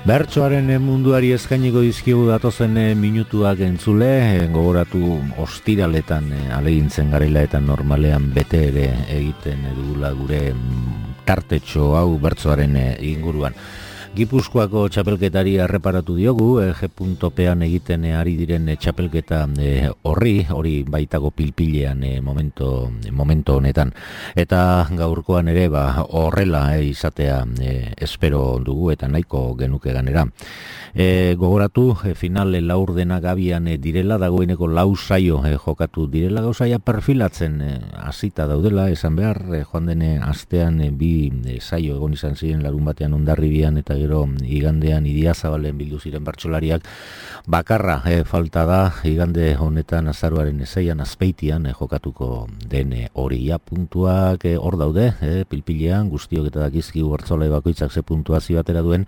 Bertsoaren munduari eskainiko dizkigu datozen minutuak entzule, gogoratu ostiraletan alegintzen garela eta normalean bete ere egiten dugula gure tartetxo hau bertsoaren inguruan. Gipuzkoako txapelketari erreparatu diogu, G.P.an egiten ari diren txapelketa hori baitago pilpilean momento honetan. Eta gaurkoan ere horrela izatea espero dugu eta nahiko genuke ganera. Gogoratu, final laurdenak abian direla, dagoeneko lau saio jokatu direla, gauzaia perfilatzen hasita daudela, esan behar, joan dene astean bi saio egon izan ziren larun batean Hondarribian eta gero igandean Idiazabalen bildu ziren bertsolariak. Bakarra falta da igande honetan azaroaren 6an Azpeitian jokatuko den hori. Puntuak hor daude, pilpilean guztiok eta dakizkigu bertsolari bakoitzak ze puntuazio batera duen,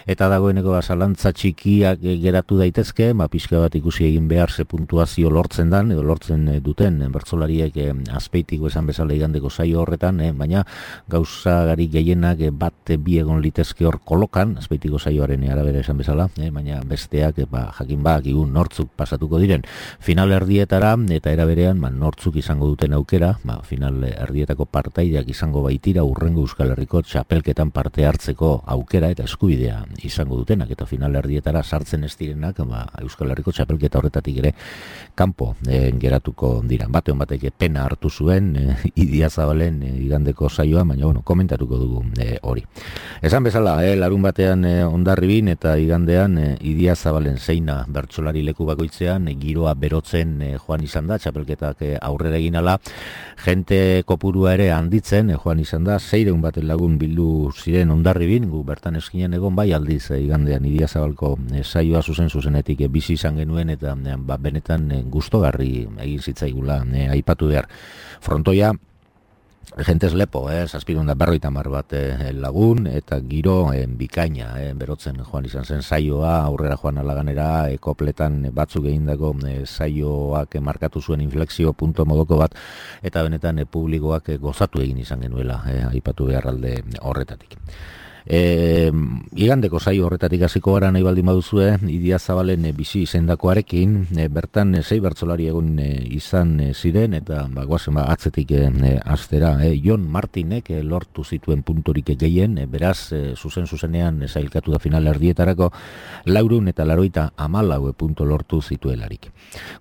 eta dagoeneko zalantza txikiak geratu daitezke, pixka bat ikusi egin behar ze puntuazio lortzen dan, edo lortzen duten bertsolariek Azpeitiko esan bezala igandeko saio horretan, baina gauza gari gehienak bat bi egon litezke hor kolokan, Azpeitiko saioaren arabera esan bezala, baina besteak jakin igun nortzuk pasatuko diren final erdietara, eta era berean nortzuk izango duten aukera, final erdietako partaideak izango baitira urrengo Euskal Herriko txapelketan parte hartzeko aukera eta eskubidea izango dutenak, eta final erdietara sartzen ez direnak Euskal Herriko txapelketa horretatik ere kanpo geratuko dira. Batean batek pena hartu zuen Idiazabalen igandeko saioa, baina komentatuko dugu hori. Esan bezala, larun batean Hondarribin eta igandean Idiazabalen zeina bertsolari leku bakoitzean giroa berotzen joan izan da, txapelketak aurrera egin ala, jente kopurua ere handitzen joan izan da, 600 baten lagun bildu ziren Hondarribin, gu bertan eskinen egon bai aldiz igandean Idiazabalko saioa zuzenetik bizi izan genuen, eta benetan gustogarri egin zitzaigula aipatu behar. Frontoia jentez lepo, 750 bat lagun, eta giro bikaina berotzen joan izan zen saioa, aurrera joan alaganera, kopletan batzuk egindako saioak markatu zuen inflexio punto modoko bat, eta benetan publikoak gozatu egin izan genuela, aipatu behar alde horretatik. Igandeko saio horretatik hasiko gara nahi baldin baduzue, Idiazabalen bizi izendakoarekin, bertan 6 bertsolari egon izan ziren, eta goazen atzetik astera, Jon Martinek lortu zituen punturik gehien, beraz zuzenean sailkatu da final erdietarako 484 puntu lortu zituelarik.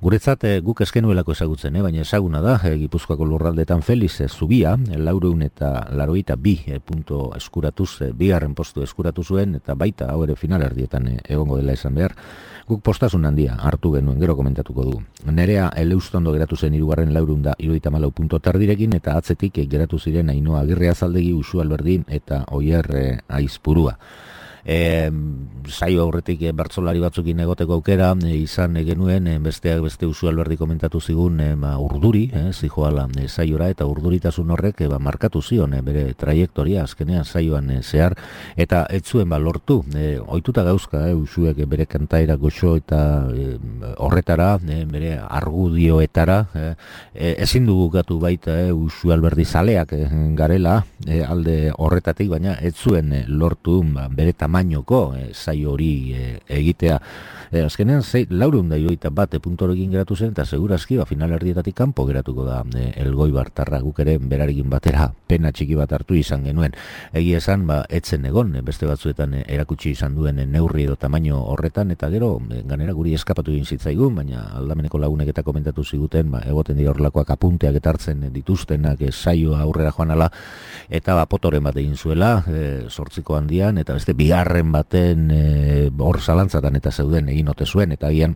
Guretzat guk eskenuelako ezagutzen, baina ezaguna da, Gipuzkoako lurraldetan Feliz Zubia 482 puntu eskuratuz bigarren postu eskuratu zuen, eta baita hau ere final erdietan egongo dela esan behar. Guk postasun handia hartu genuen, gero komentatuko dugu. Nerea Eleustondo geratu zen 474 puntu tardirekin, eta atzetik geratu ziren Ainhoa Agirre Azaldegi, Usu Alberdin eta Oier Aizpurua. Saio aurretik bertsolari batzukin egoteko aukera izan genuen, besteak beste Usu Alberdi komentatu zigun urduri, zijoala saiora, eta urduritasun horrek markatu zion bere trajektoria azkenean saioan zehar, eta ez zuen lortu, ohituta gauzka Usuek bere kantaera goxo eta horretara, bere argudioetara, ezin dugu gatu baita Usu Alberdi zaleak garela alde horretatik, baina ez zuen lortu bere tamainoko saio hori egitea. Azkenean 481 punturekin geratu zen, eta segurazki final erdietatik kanpo geratuko da Elgoibartarra. Guk ere berarekin batera pena txiki bat hartu izan genuen. Egia esan, etzen egon, beste batzuetan erakutsi izan duen neurri edo tamaino horretan, eta gero ganera guri eskapatu egin zitzaigun, baina aldameneko lagunek eta komentatu ziguten, egoten dira horrelakoak apunteak eta hartzen dituztenak saioa aurrera joan ala, eta potoren bat egin zuela, 8 handian, eta beste bigarren baten hor zalantzatan eta zeuden egin ote zuen, eta agian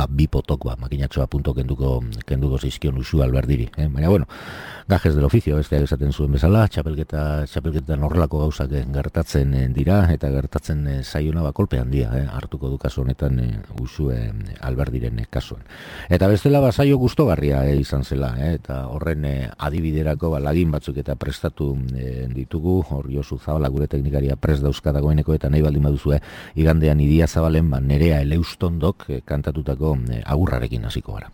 bi potok makinatxoa punto kenduko zizkion Usu Alberdiri. Baina, gajes del oficio, besteak esaten zuen bezala, txapelketan horrelako gauzak gertatzen dira, eta gertatzen zaiona kolpe handia hartuko du kasu honetan Usu Alberdiren kasuan. Eta bestela saio gustogarria izan zela, eta horren adibiderako lagin batzuk eta prestatu ditugu, hor Josu Zabala gure teknikaria prest dauzka dagoeneko, eta nahi baldin baduzue igandean Idiazabalen Nerea Eleustondok kantatutako agurrarekin hasiko gara.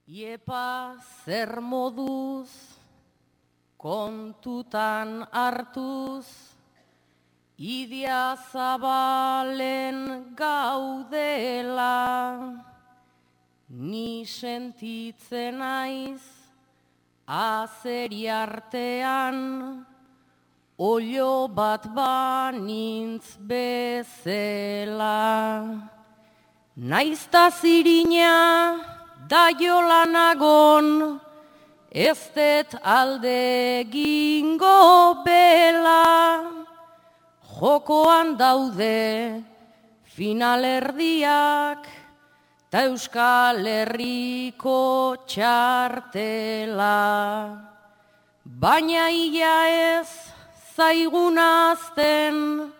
Iepa zer moduz, kontutan hartuz, idia zabalen gaudela, ni sentitzen naiz, azeri artean, olio bat banintz bezela. Naizta zirina, daiolanagon, ez det alde gingo bela, jokoan daude finalerdiak, ta Euskal Herriko txartela. Baina ia ez zaigun azten,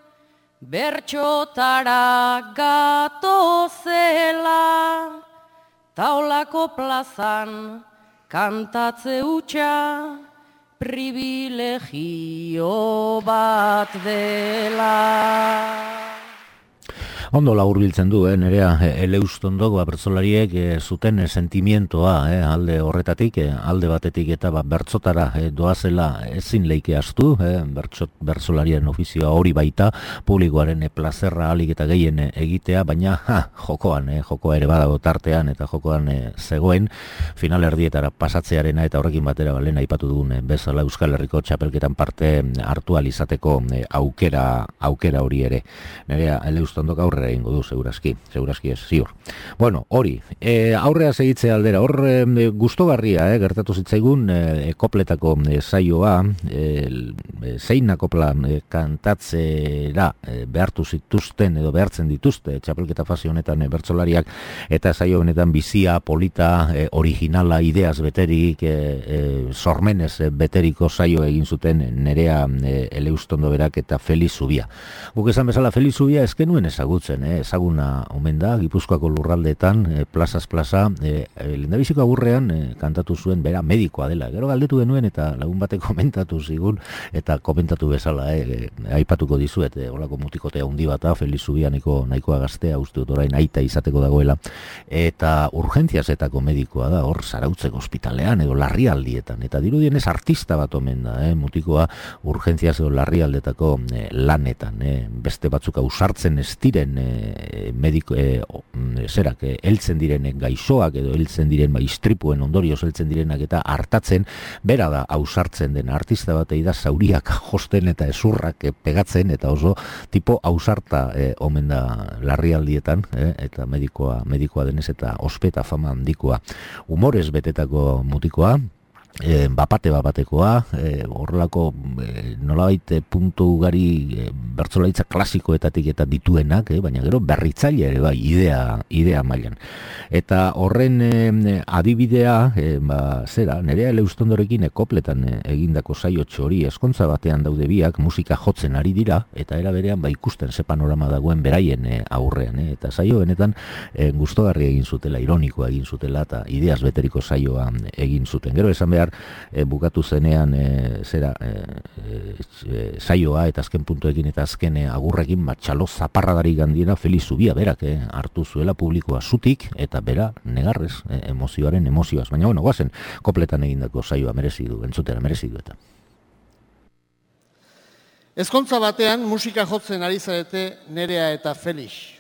bertxotara gatozela, taolako plazan kantatze hutsa privilegio bat dela. Ondo laburbiltzen du, Nerea Eleustondok bertsolariek zuten sentimientoa alde horretatik, alde batetik eta bertsotara doazela ezin leike astu, bertsolarien ofizioa hori baita, publikoaren plazerra alik eta gehien egitea, baina jokoa ere badago tartean eta jokoan zegoen finalerdietara pasatzearena eta horrekin batera lehen aipatu dugun bezala Euskal Herriko txapelketan parte hartu alizateko aukera hori ere. Nerea Eleustondok aurrera egingo du, segurazki ez, ziur. Bueno, hori, aurrea segitzea aldera, hor gustogarria, gertatu zitzaigun kopletako saioa, zein kopla kantatzera behartu zituzten edo behartzen dituzte txapelketa fase honetan bertsolariak, eta saio honetan bizia, polita, originala, ideaz beterik, sormenez beteriko saio egin zuten Nerea Eleustondo berak eta Feliz Zubia. Guk esan bezala Feliz Zubia ezkenuen ezagutzen, ezaguna omen da, Gipuzkoako lurraldeetan, plazaz plaza, lehendabiziko agurrean kantatu zuen, bera medikoa dela. Gero galdetu genuen eta lagun batek komentatu zigun, eta komentatu bezala, aipatuko dizuet, holako mutikotea handi bata, Feliz Zubia nahikoa gaztea, uste dut orain aita izateko dagoela, eta urgentziazetako medikoa da, hor Zarautzeko ospitalean edo larrialdietan, eta dirudienez artista bat omen da, mutikoa urgentziaz edo larrialdetako lanetan, beste batzuk ausartzen ez diren heltzen diren gaixoak edo heltzen diren istripuen ondorioz heltzen direnak eta hartatzen, bera da ausartzen den artista batei da zauriak josten eta ezurrak pegatzen eta oso tipo ausarta omen da larrialdietan, eta medikoa denez eta ospeta fama handikoa, humorez betetako mutikoa, bapatekoa, horrelako nolabait puntu ugari bertsolaritza klasikoetatik eta dituenak, baina gero berritzaile ere bai, idea mailan. Eta horren adibidea, Nerea Eleustondorekin kopletan egindako saio hori eskontza batean daude biak, musika jotzen ari dira, eta era berean ikusten ze panorama dagoen beraien aurrean, eta saio benetan gustogarri egin zutela, ironikoa egin zutela, eta ideaz beteriko saioa egin zuten. Gero esan behar, bukatu zenean saioa eta azken puntuekin eta azken agurrekin txalo zaparradari gandiena Feliz Zubia berak hartu zuela publikoa zutik eta bera negarrez emozioaz. Baina bueno, goazen kopletan egindako saioa merezi du eta. Ezkontza batean musika jotzen ari zarete Nerea eta Felix.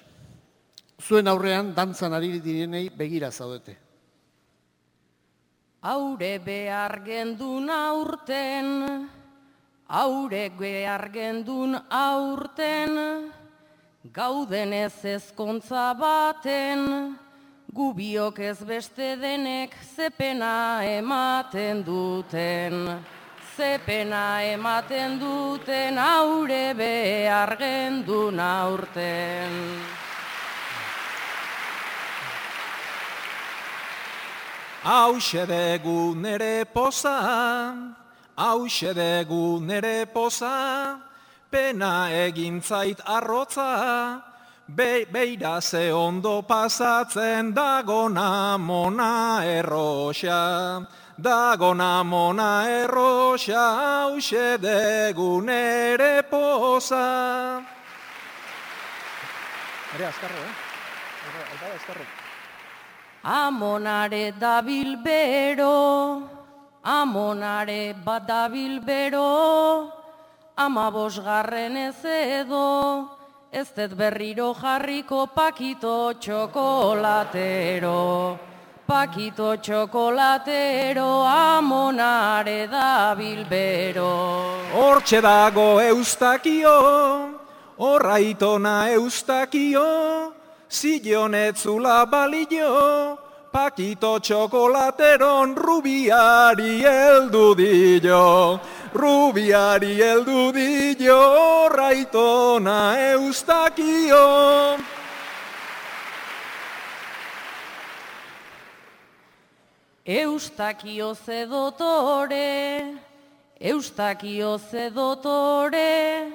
Zuen aurrean dantzan ari direnei begira zaudete. Aure behar gendun aurten, gauden ez ezkontza baten, gubiok ez beste denek zepena ematen duten. Aure behar gendun aurten. Hauxe degu nere poza, pena egintzait arrotza, beira ze ondo pasatzen dagona mona erroxa, hauxe degu nere poza. Amonare dabil bero, amonare bat dabil bero, 15 ez edo, ez dut berriro jarriko pakito txokolatero. Pakito txokolatero, amonare dabil bero. Hortxe dago eustakio, horraitona eustakio, zillonetzula balio, pakito txokolateron rubiari heldu dio. Rubiari heldu dio, horraitona eustakio. Eustakio ze dotore, eustakio ze dotore,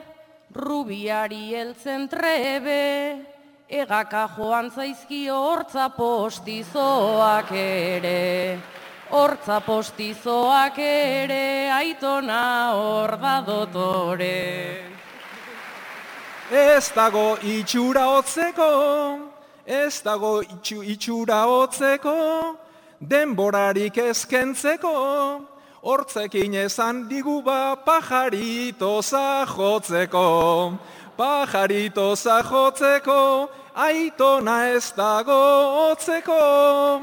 rubiari heltzen trebe, egaka joan zaizkio hortza postizoak ere. Hortza postizoak ere, aitona hor da dotore. Ez dago itxura hotzeko, ez dago itxura hotzeko, denborarik ezkentzeko, hortzekin esan digu ba pajaritoza jotzeko. Pajaritoza jotzeko, aitona ez dago hotzeko.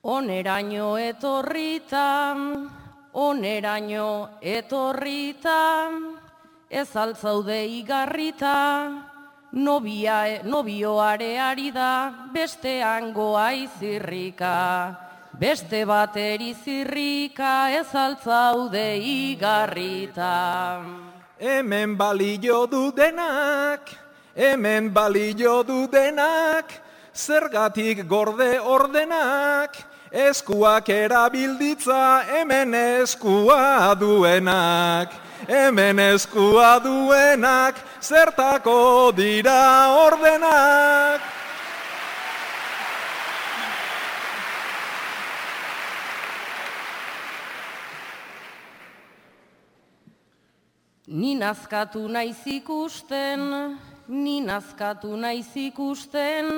Oneraino etorritan, oneraino etorritan, ez altzaude igarrita, nobioare da, beste hangoa izirrika. Beste bateri zirrika, ez altzaude igarrita. Hemen balio du denak, hemen balio du denak, zergatik gorde ordenak, eskuak erabilditza hemen eskua duenak. Hemen eskua duenak, zertako dira ordenak. Ni nazkatu naiz ikusten, ni nazkatu naiz ikusten,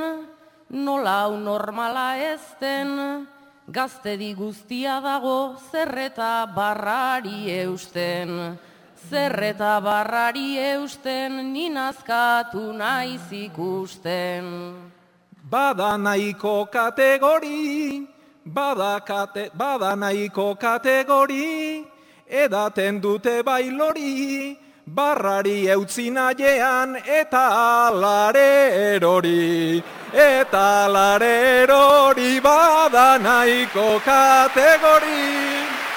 nola hau normala ezten, gaztedi guztia dago zerreta barrari eusten. Zerreta barrari eusten, ni nazkatu naiz ikusten. Bada nahiko kategori, bada nahiko kategori, edaten dute bailori, barrari eutzi nahian eta alare erori. Eta alare erori, bada nahiko kategori.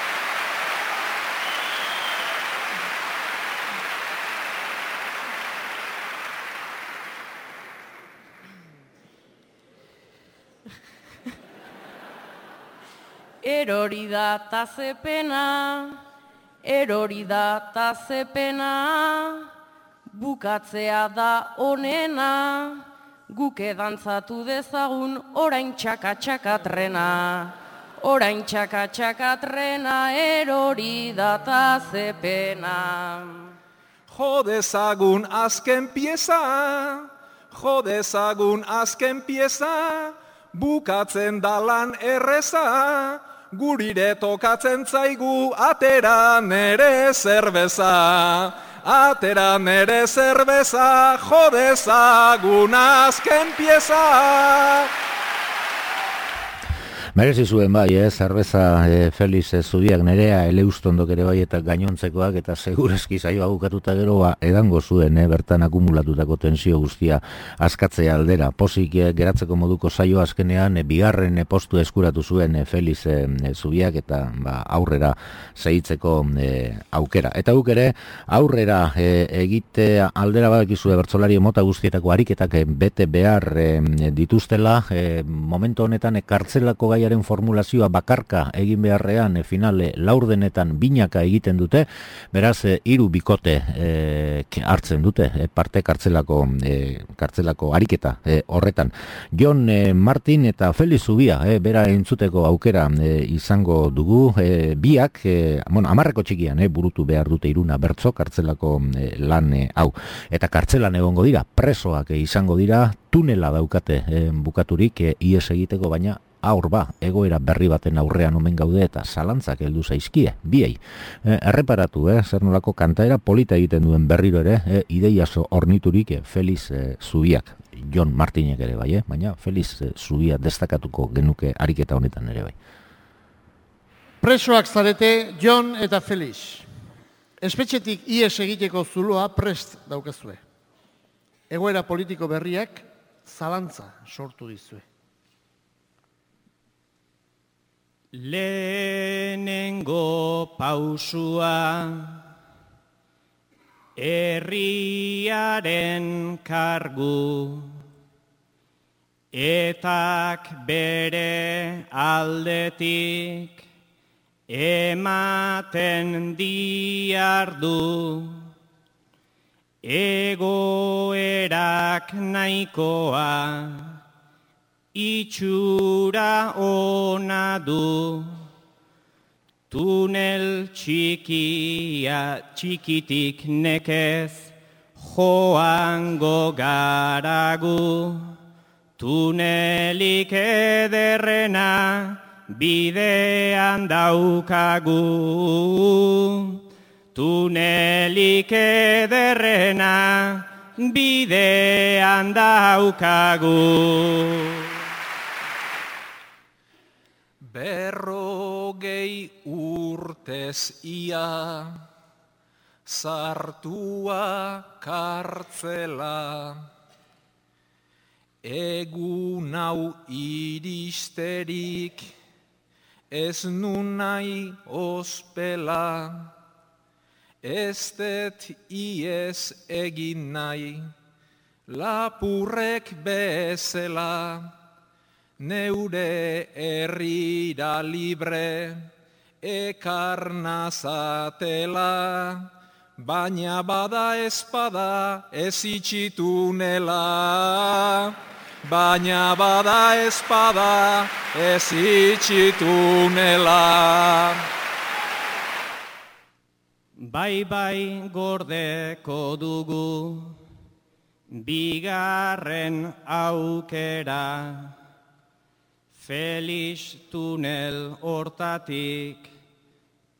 Erori da tazepena, erori da tazepena, bukatzea da onena, guke dantzatu dezagun orain txaka-txakatrena. Orain txaka-txakatrena, erori da tazepena. Jodezagun azken pieza, jodezagun azken pieza, bukatzen dalan erreza, gurire tokatzen zaigu atera nere zerbeza. Atera nere zerbeza, jodezagun azken pieza. Merezi zuen bai, zerbeza Felix Zubiak, Nerea Eleustondok ere bai eta gainontzekoak, eta segurazki saioa bukatuta gero edango zuen bertan akumulatutako tensio guztia askatzea aldera. Pozik geratzeko moduko saio azkenean bigarren postu eskuratu zuen Felix Zubiak eta aurrera segitzeko aukera. Eta guk ere aurrera egite aldera badakizue bertsolari mota guztietako ariketak bete behar dituztela, momentu honetan kartzelako gai gaiaren formulazioa bakarka egin beharrean finale laurdenetan binaka egiten dute, beraz 3 bikote hartzen dute parte kartzelako ariketa horretan. Jon Martin eta Felix Zubia bera entzuteko aukera izango dugu, biak 10 txikian burutu behar dute Iruna bertso kartzelako lan hau, eta kartzelan egongo dira, presoak izango dira, tunela daukate bukaturik ies egiteko, baina aur egoera berri baten aurrean omen gaude eta zalantzak heldu zaizkie, biei. Erreparatu, zer nolako kantaera polita egiten duen berriro ere, ideiaso orniturik Felix Zubiak, Jon Martinek ere bai, baina Felix Zubia destakatuko genuke ariketa honetan ere bai. Presoak zarete Jon eta Felix. Espetxetik ies egiteko zuloa prest daukazue. Egoera politiko berriak zalantza sortu dizue. Lehenengo pausua herriaren kargu, etak bere aldetik ematen diardu, egoerak nahikoa itxura ona du, tunel txikitik nekez joango garagu, tunelik ederrena bidean daukagu, tunelik ederrena bidean daukagu. 40 urtez ia sartua kartzela, egun hau iristerik ez nun nahi ospela, ez det ies egin nahi lapurrek bezala, neure herrira libre ekarnazatela, baina bada espada ez itxitunela, baina bada espada ez itxitunela. Bai gordeko dugu bigarren aukera, Felix tunel hortatik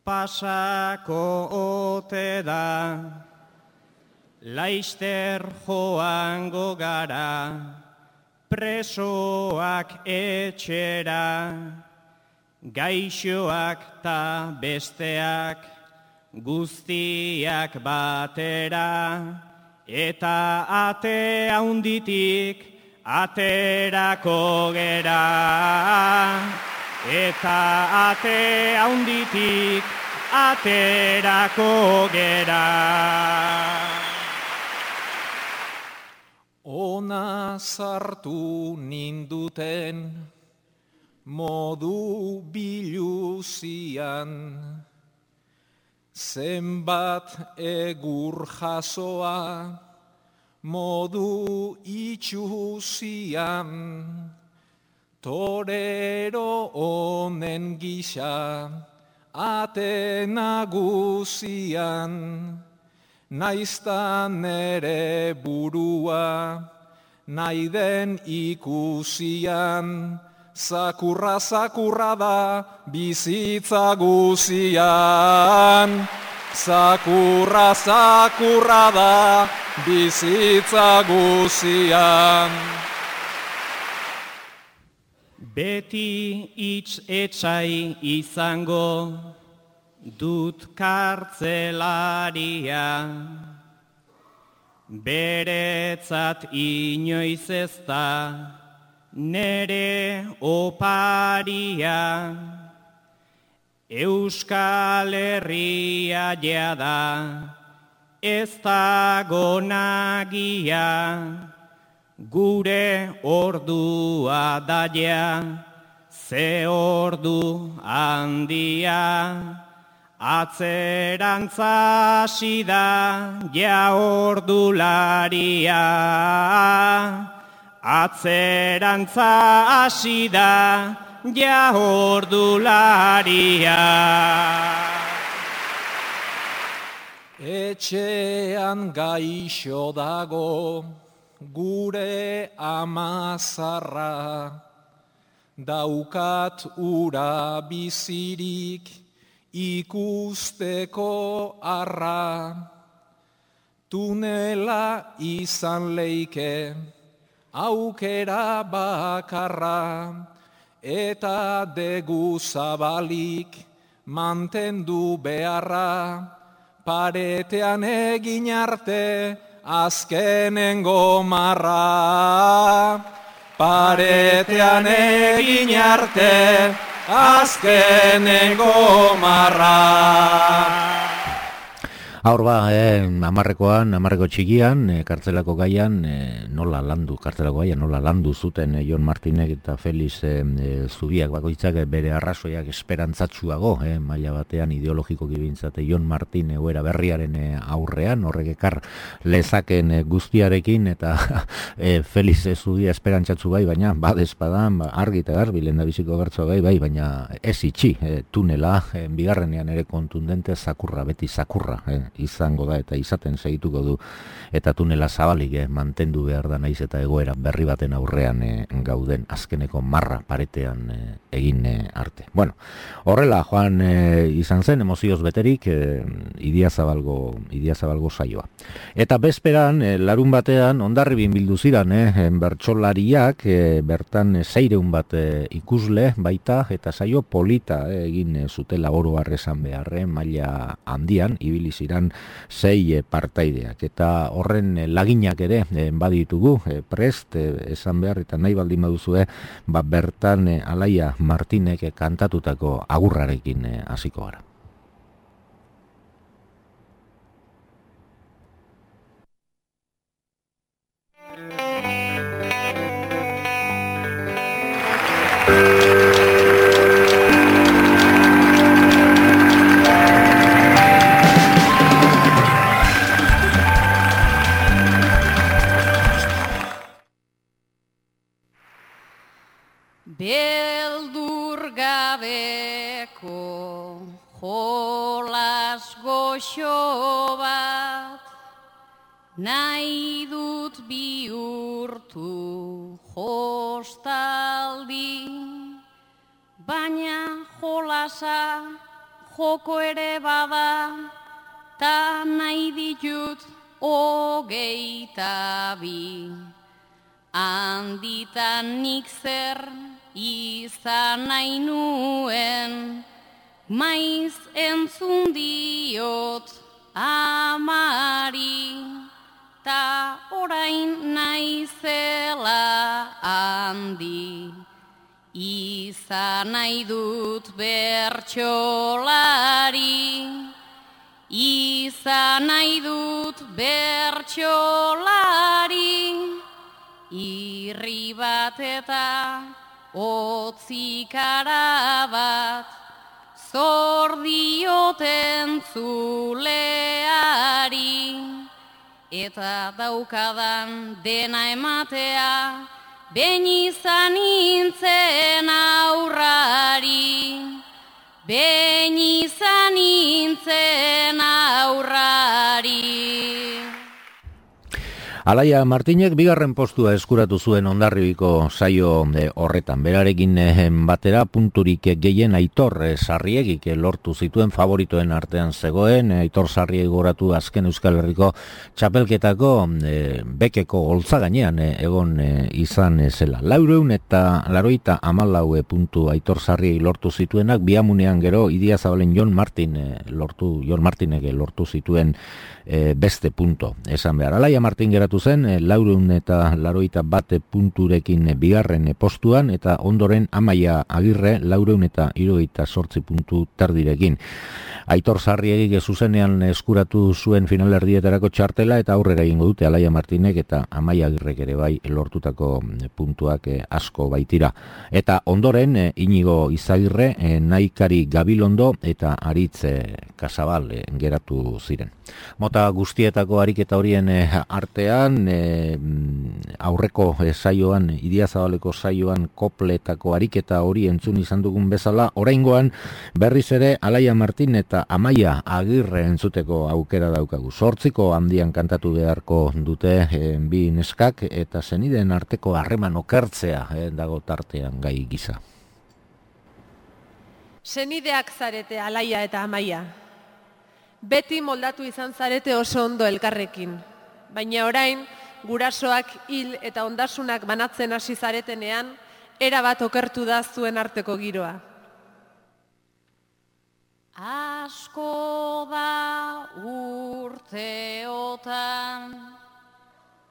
pasako ote da, laister joango gara presoak etxera, gaixoak ta besteak guztiak batera, eta ate haunditik aterako gera, eta ate haunditik aterako gera. Ona sartu ninduten modu biluzian, zenbat egur jasoa modu itxuzian, torero honen gisa ate nagusian, naiztan nere burua nahi den ikusian, zakurra da bizitza guzian, zakurra da bizitza guzian. Beti hitz etsai izango dut kartzelaria, beretzat inoiz ez da nere oparia, Euskal Herria jada ez dago nagia, gure ordua daia ze ordu handia, atzerantza hasi da ja ordularia. Atzerantza hasi da ja ordularia. Etxean gaixo dago gure amazarra, daukat ura bizirik ikusteko arra. Tunela izan leike aukera bakarra, eta degu zabalik mantendu beharra, paretean egin arte azkenengo marra. Paretean egin arte azkenengo marra. Aurba, amarreko txikian, kartzelako gaian, nola landu zuten Jon Martinek eta Felix Zubiak bakoitzak bere arrazoiak esperantzatsuago, maila batean ideologiko gibintzate Jon Martin egoera berriaren aurrean, horrek ekar lezaken guztiarekin, eta Felix Zubia esperantzatsu bai, baina badezpadan, argi eta garbi lehendabiziko gertzo bai, baina ez itxi, tunela, bigarrenean ere kontundente zakurra, beti zakurra, izango da eta izaten segituko du, eta tunela zabalik mantendu behar da naiz eta egoera berri baten aurrean gauden azkeneko marra paretean egin arte. Bueno, horrela joan izan zen emozioz beterik Idiazabalgo saioa. Eta bezperan, larun batean Hondarribin bildu ziran bertsolariak, bertan 600 bat ikusle baita, eta saio polita egin zutela oro har esan beharren maila handian ibili ziran 6 partaideak, eta horren laginak ere baditugu prest esan behar, eta nahi baldin baduzue bertan Alaia Martinek kantatutako agurrarekin hasiko gara. Beldur gabeko jolas goxo bat, nahi dut bihurtu jostaldi, baina jolasa joko ere bada, ta nahi ditut 22. Handitan nik zer izan nahi nuen, maiz entzun diot amari, ta orain naizela handi. Izan nahi dut bertsolari, izan nahi dut bertsolari, irri bat eta otzikara bat, zor dioten zuleari, eta daukadan dena ematea, behin izan nintzen aurrari, behin izan nintzen aurrari. Alaia Martinek bigarren postua eskuratu zuen Hondarribiko saio horretan. Berarekin batera punturik gehien Aitor Sarriegik lortu zituen, favoritoen artean zegoen. Aitor Sarriegi goratu azken Euskal Herriko txapelketako bekeko holtza gainean egon izan zela. 484 puntu Aitor Sarriegi lortu zituenak, biamunean gero Idiazabalen Jon Martinek lortu zituen beste punto. Esan behar, Alaia Martin geratu zen 481 punturekin bigarren postuan, eta ondoren Amaia Agirre 478 puntu terdirekin. Aitor Sarriegik zuzenean eskuratu zuen finalerdietarako txartela eta aurrera egingo dute Alaia Martinek eta Amaia Agirrek ere bai lortutako puntuak asko baitira. Eta ondoren Inigo Izagirre, Naikari Gabilondo eta Aritz Kasabal geratu ziren. Mota guztietako ariketa horien artean, aurreko saioan, Idiazabaleko saioan kopletako ariketa hori entzun izan dugun bezala, oraingoan berriz ere Alaia Martin eta Amaia Agirre entzuteko aukera daukagu. 8 handian kantatu beharko dute bi neskak eta senideen arteko harreman okertzea dago tartean gai gisa. Senideak zarete Alaia eta Amaia. Beti moldatu izan zarete oso ondo elkarrekin. Baina orain, gurasoak hil eta ondasunak banatzen hasi zaretenean, erabat okertu da zuen arteko giroa. Asko da urteotan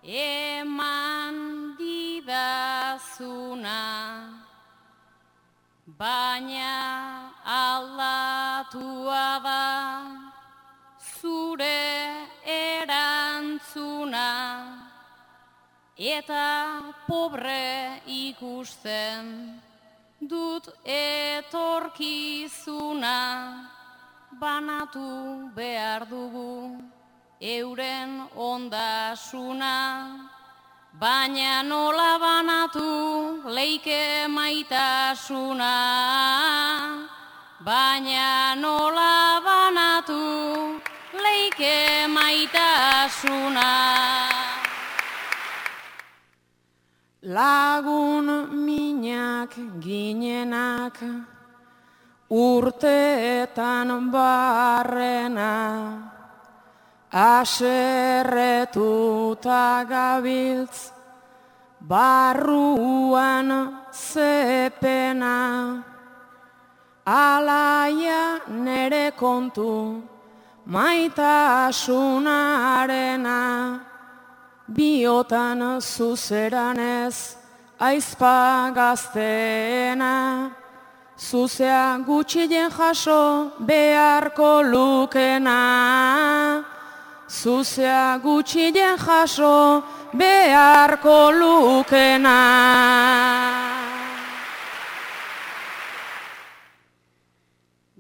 eman didazuna, baina aldatua da zure erantzuna, eta pobre ikusten dut etorkizuna, banatu behar dugu euren ondasuna, baina nola banatu leike maitasuna, baina nola banatu leike maitasuna. Lagun minak ginenak, urteetan barrena, aserretuta gabiltz, barruan zepena. Alaia nere kontu, maitasunarena, biotan zuzeranez aizpa gazteena, zuzea gutxien jaso beharko lukena, zuzea gutxien jaso beharko lukena.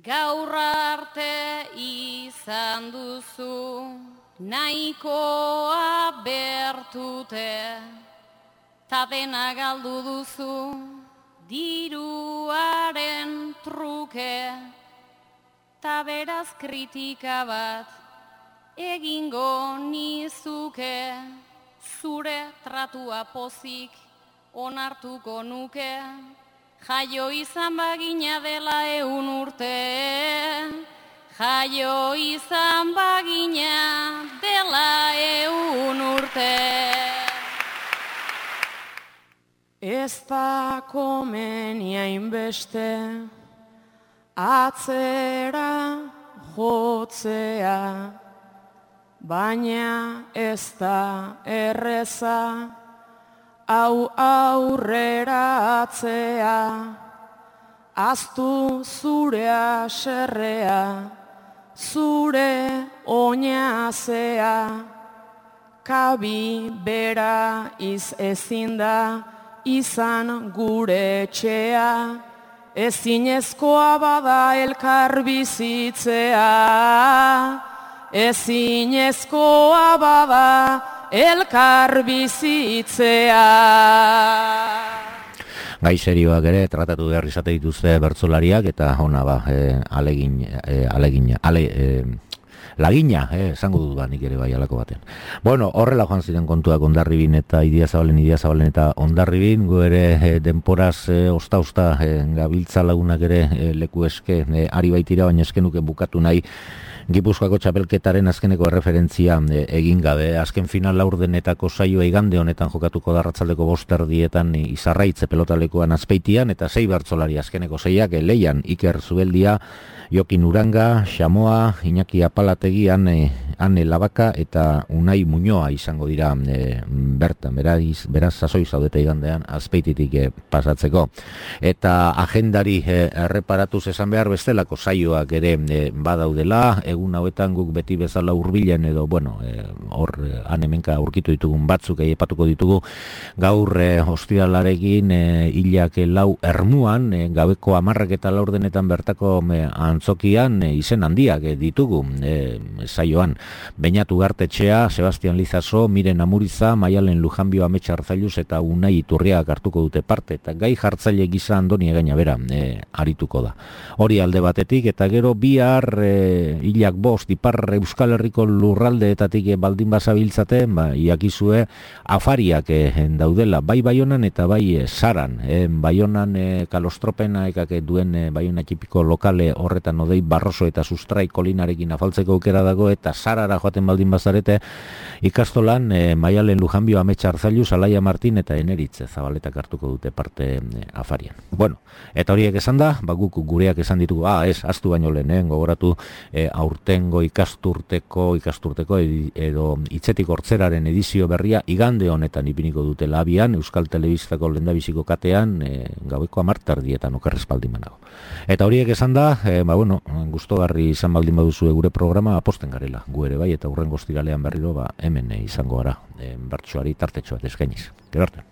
Gaur arte izan duzu nahikoa bertute, ta dena galdu duzu diruaren truke, ta beraz kritika bat egingo nizuke, zure tratua pozik onartuko nuke, jaio izan bagina dela 100 urte, jaio izan bagina dela 100 urte. Ez da komenia inbeste atzera jotzea, baina ez da erreza hau aurrera atzea. Aztu zure aserrea, zure oinazea, kabi bera ezin da izan gure etxea, ezinezkoa bada elkar bizitzea, ezinezkoa bada elkar bizitzea. Gai serioak ere tratatu behar izate dituzte bertsolariak eta hona ba, lagina, esango dut ba, nik ere bai alako batean. Bueno, horrela joan ziren kontuak Hondarribin eta Idiazabalen eta Hondarribin, gu ere denporaz osta gabiltza lagunak ere leku eske ari baitira, baina eskenuke bukatu nahi Gipuzkoako txapelketaren azkeneko erreferentzia egin gabe. Azken final laurdenetako saioa igande honetan jokatuko da arratsaldeko 5:00 Izarraitze pelotalekuan Azpeitian, eta 6 bertsolari azkeneko 6ak Leian Iker Zubeldia, Jokin Uranga, Xamoa, Iñaki Apalategian, Ane Labaka eta Unai Muñoa izango dira bertan, beraz sasoi zaudete igandean Azpeititik pasatzeko. Eta agendari erreparatuz esan behar bestelako saioak ere badaudela, egun hauetan guk beti bezala hurbilen edo, hor hemenka aurkitu ditugun batzuk aipatuko ditugu, gaur ostiralarekin hilak 4 Ermuan, gabeko 10:04 bertako antzokian izen handiak ditugu saioan. Beñatu Gartetxea, Sebastian Lizaso, Miren Amuriza, Maialen Lujanbio Ametsa Arzailuz eta Unai Iturriak hartuko dute parte, eta gai jartzaile gisa Andoni Egaina bera arituko da. Hori alde batetik, eta gero bihar hilak 5 Ipar Euskal Herriko lurraldeetatik baldin bazabiltzate, iakizue afariak daudela, bai Baionan eta bai Saran. Baionan Kalostropena ekak duen Baiona txipiko lokale horretan odei Barroso eta Sustrai kolinarekin afaltzeko aukera dago, eta Sarara joaten baldin bazarete ikastolan Maialen Lujanbio Ametsa Arzailuz, Alaia Martin eta Eneritze Zabaletak hartuko dute parte afarian. Eta horiek esan da, guk gureak esan ditugu, astu baino lehen, gogoratu aurtengo ikasturteko edo hitzetik hortzeraren edizio berria igande honetan ipiniko dute labian, Euskal Telebistako lehendabiziko katean, gaueko 10:00 okerrez baldin banago. Eta horiek esan da, gustogarri izan baldin baduzu gure programa, aposten garela, gu ere bai, eta hurrengo ostiralean berriro hemen izango gara, bertsoari tartetxo bat eskainiz. Gero arte.